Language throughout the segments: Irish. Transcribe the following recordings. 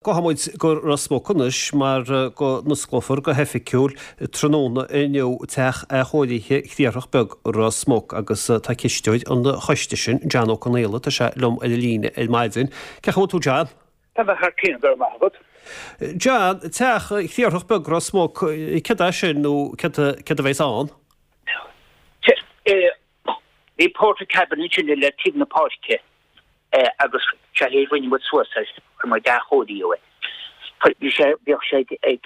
Gabhfaidh muid go Ros Muc anois mar go n-osclófar go hoifigiúil tráthnóna inniu Teach Athchóirithe Chriathrach Beag Ros Muc agus tá cisteoir an choiste sin, John Ó Conaola, tá sé liom ar an líne ar maidin. Cén chaoi a bhfuil tú John? Tá mé thar cionn, go raibh maith agat. John, Teach Chriathrach Beag Ros Muc, céard é sin nó céard a bheas ann? Bhí portacabin ansin le taobh na páirce agus sé a rinne muid suas é, chuir muid athchóiriú air. Bhí sé, bhíodh sé ag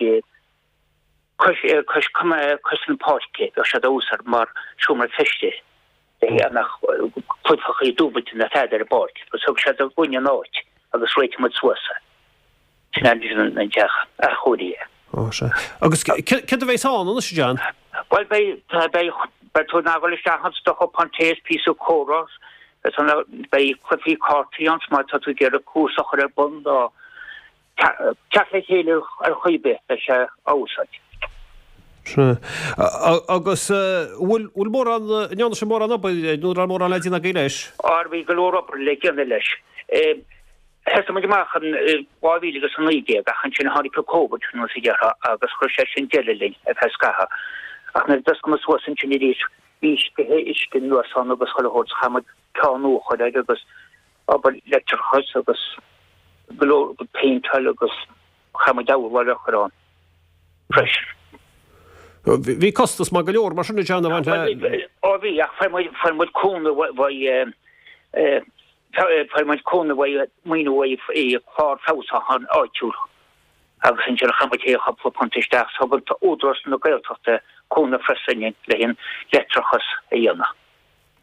cois, cois, cois na páirce, bheadh sé á úsáid mar seomra feistis a mbeadh cluichí dúbailte na fead ar an bpáirc agus thug siad dúinn an áit agus réitigh muid suas é. Sin é an teach athchóirithe. Ó, sea. Agus céard a bheas ann anois, a John? Bhuel, beidh, beidh, beidh tú in ann dul isteach ann, do chupán tae is píosa comhrá, beidh tú in ann, beidh cluichí cártaí ann, má tá tú ag iarraidh cúrsa a chur ar bun nó teacht le chéile ar chaoi ar bith, beidh sé á úsáid. Sea. Agus bhfuil, bhfuil mórán, an ndearna sibh mórán obair nó an raibh mórán le déanamh agaibh leis? Á, bhí go leor obair le déanamh leis. Thosaigh muid amach in 2019 ach ansin tháinig an Covid mar a déarfá agus chuir sé sin deireadh linn ar feadh scaitheamh. Ach nuair a d'oscail muid suas ansin arís bhí sceitheadh uisce anuas ann agus chuile shórt, chaith muid ceann nua a chur air agus obair leictreachais agus go leor péinteáil agus chaith muid urlár a chur ann freisin. Bhí costas maith go leor mar sin a John a bhain le. Ó bhí ach fuair muid fuair muid cúnamh uaidh Fuair muid cúnamh uaidh, maoiniú uaidh clár feabhsúcháin áitiúil agus ansin chaith muid féin cúpla punt isteach. Thug Údarás na Gaeltachta cúnamh freisin le an leictreachas a dhéanamh.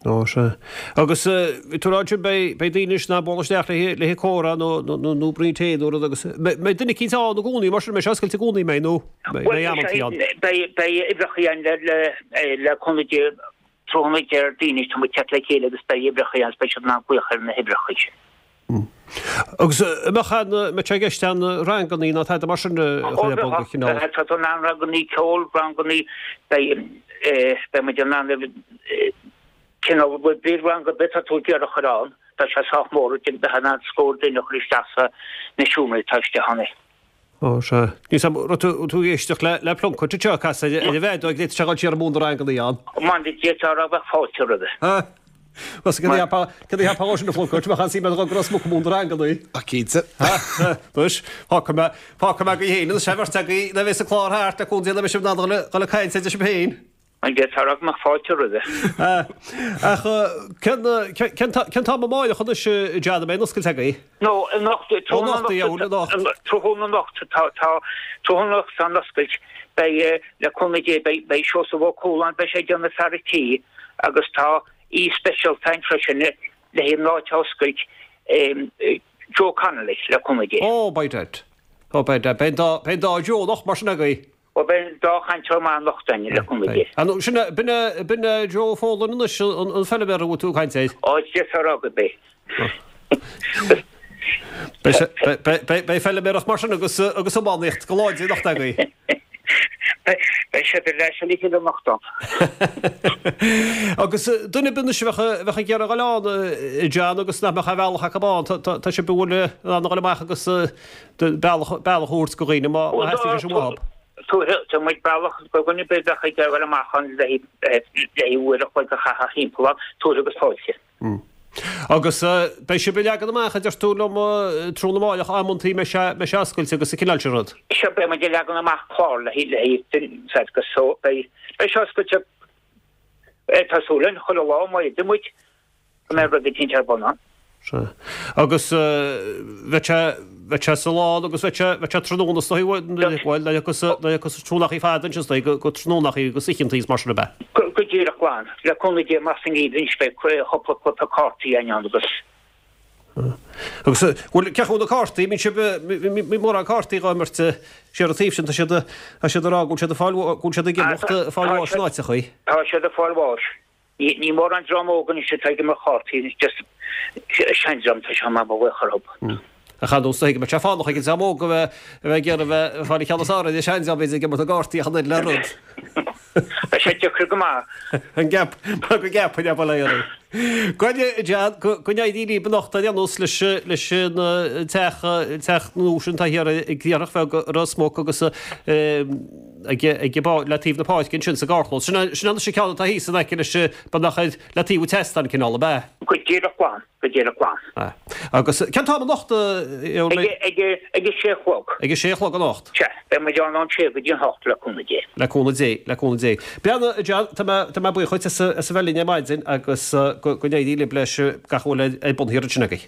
Ó, sea. Agus bhí tú ag rá ansin beidh daoine anois in ann bualadh isteach le haghaidh comhrá nó nó braon tae nó rud agus mbeidh duine eicínt ann i gcónaí mar sin, mbeidh sé oscailte i gcónaí mbeidh nó mbeidh amantaí ann? Beidh uimhreacha ann le cúnamh Dé Tráthnóna Déardaoin tá muid teacht le chéile agus beidh uimhreacha ann agus beidh siad in ann glaoch ar na huimhreacha sin. Agus an mbeadh an, mbeadh sé i gceist aon rangannaí ná tada mar sin a chur ar bun de chineál? Tá tú in ann rangannaí ceoil, rangannaí, beidh, beidh muid in ann cineál, bhí rang ar bith atá tú ag iarraidh a chur ann, tá sé sách mór, bheifeá in ann scór duine a chur isteach sa na seomraí atá istigh ann. Ó, sea. Níl 's a'm, raibh tú, tú ag éisteacht le, le Plunkett anseo ag casadh ar, ar an bhfeadóg, d'fhéadfadh sé dhul siar ag múineadh na rangannaí ann. Man, d'fhéadfá a rá bheadh fáilte roimhe. Ha! Bhuel, céard a cheapfá, céard a cheapfá dhó sin a Phlunkett, bheadh an-suim agat dhul go Ros Muc ag múineadh na rangannaí. Ach cinnte. Ha! Ha! Anois, fágfaidh mé, fágfaidh mé agaibh féin anois é, bheirt agaibh, nuair a bheas an clár thart, le cúnamh Dé, nuair a bheidh sibh in ann dhul, dhul ag caint idir sibh féin. An d'fhéadfá a rá go mbeadh fáilte roimhe? Ach cén cén t-am amáireach anois a John a mbeidh an oscailt agaibh? No, anocht, Anocht, a dheabhail, anocht. Tráthnóna anocht, tá, tá, tráthnóna anocht tá an oscailt. Beidh, le cúnamh Dé, beidh, beidh Seosamh Ó Cualáin, beidh sé ag déanamh fear an tí agus tá aoi speisialta ann freisin le haghaidh an áit a oscailt, Joe Connolly, le cúnamh Dé. Oh, by dad. Oh, by dad. Beidh an dá, beidh an dá Joe anocht mar sin agaibh. Ó beidh an dá chainteoir maith anocht againn, le cúnamh Dé. An sin é, b'in é, b'in é Joe Folan anois, an feilméara a bhfuil tú ag caint air? Ó, d'fhéadfá a rá gurb é. Beidh sé, beidh, beidh, beidh feilméaracht mar sin agus, agus iománaíocht go láidir anocht agaibh. Beidh siad ar ais le chéile anocht ann. Agus duine ar bith anois a bheadh, a bheadh ag iarraidh a dhul ann, a John, agus nach mbeadh aon bhealach acu ann, tá, tá, tá sibh an bhfuil in ann a dhul amach agus, bealach a thabhairt go dhaoine má theastaíonn sé sin uathu. Tabharfaidh muid bealach go dhuine ar bith a bheadh ag dul amach ann le haghaidh uair a chloig a chaitheamh thimpeall ann, tabharfaidh agus fáilte. Agus beidh sibh ag leagan amach, a deir tú liom, tráthnóna amáireach, amantaí mbeidh sé mbeidh sé oscailte agus an cineál sin rud. Sea, beidh muid ag leagan amach clár le haghaidh agus so beidh sé oscailte, tá súil againn, chuile lá, má fhéadann muid. go mbeidh rud eicínt ar bun ann. Sea. Agus bheadh sé, bheadh sé sa lán agus bheadh sé, bheadh sé tráthnóna is dóigh, bhuel, agus, agus tráthnónachaí fada ansin is dóigh, go, go tráthnónachaí agus oícheantaí is mar sin ab ea? Go, go díreach glan. Le cúnamh Dé amach sa ngeimhreadh anois beidh cúpla cluiche cártaí againn ann agus. Agus, bhuel, cén chaoi na cártaí, mbíonn sibh, mbíonn mórán cártaí dhá imirt siar an taobh sin, tá siad, tá siad ag rá go bhfuil siad ag fáil, go bhfuil siad ag imeacht, ag fáil bháis in áiteachaí. Tá siad ag fáil bháis. Ní mórán dream óg anois atá ag imirt chártaí anois, just seandream atá sé mar mo bhuíoch orthu. Ach ar ndóigh is dóigh go mbeadh sé fánach ag an dream óg a bheith a bheith ag iarraidh a bheith ag fáil an ceann is fearr ar an seandream b'fhéidir ag imirt na gcártaí ach an oiread le rud. sé deacair go maith. An gceap, mar go gceapfainn ab fholáir é. Go John, go go n-éirí libh anocht ar aon nós leis leis an teach teach nua sin atá thiar i gCriathrach Bheag Ros Muc agus ag ag le taobh na páirce ansin sa gcarrchlós. Sin sin anois an ceann atá thíos in aice leis beagnach ar le taobh an tseastáin cineál, ab ea? Go díreach glan. Go díreach glan. Agus cén t-am anocht? Ag ag a sé a chlog. Ag a sé a chlog anocht? Sea, beidh muid ann ón sé go dtí an hocht, le cúnamh Dé. Le cúnamh Dé, le cúnamh Dé. Breathnaigh, a John, tá mé, tá mé buíoch dhuit as a bheith linn ar maidin agus go n-éirí libh leis gach a bhfuil ar bun thiar ansin agaibh.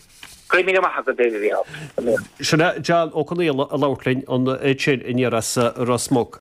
Go raibh míle maith agat, a Mhícheál. Sin é John Ó Conaola ag labhairt linn ansin aniar as Ros Muc.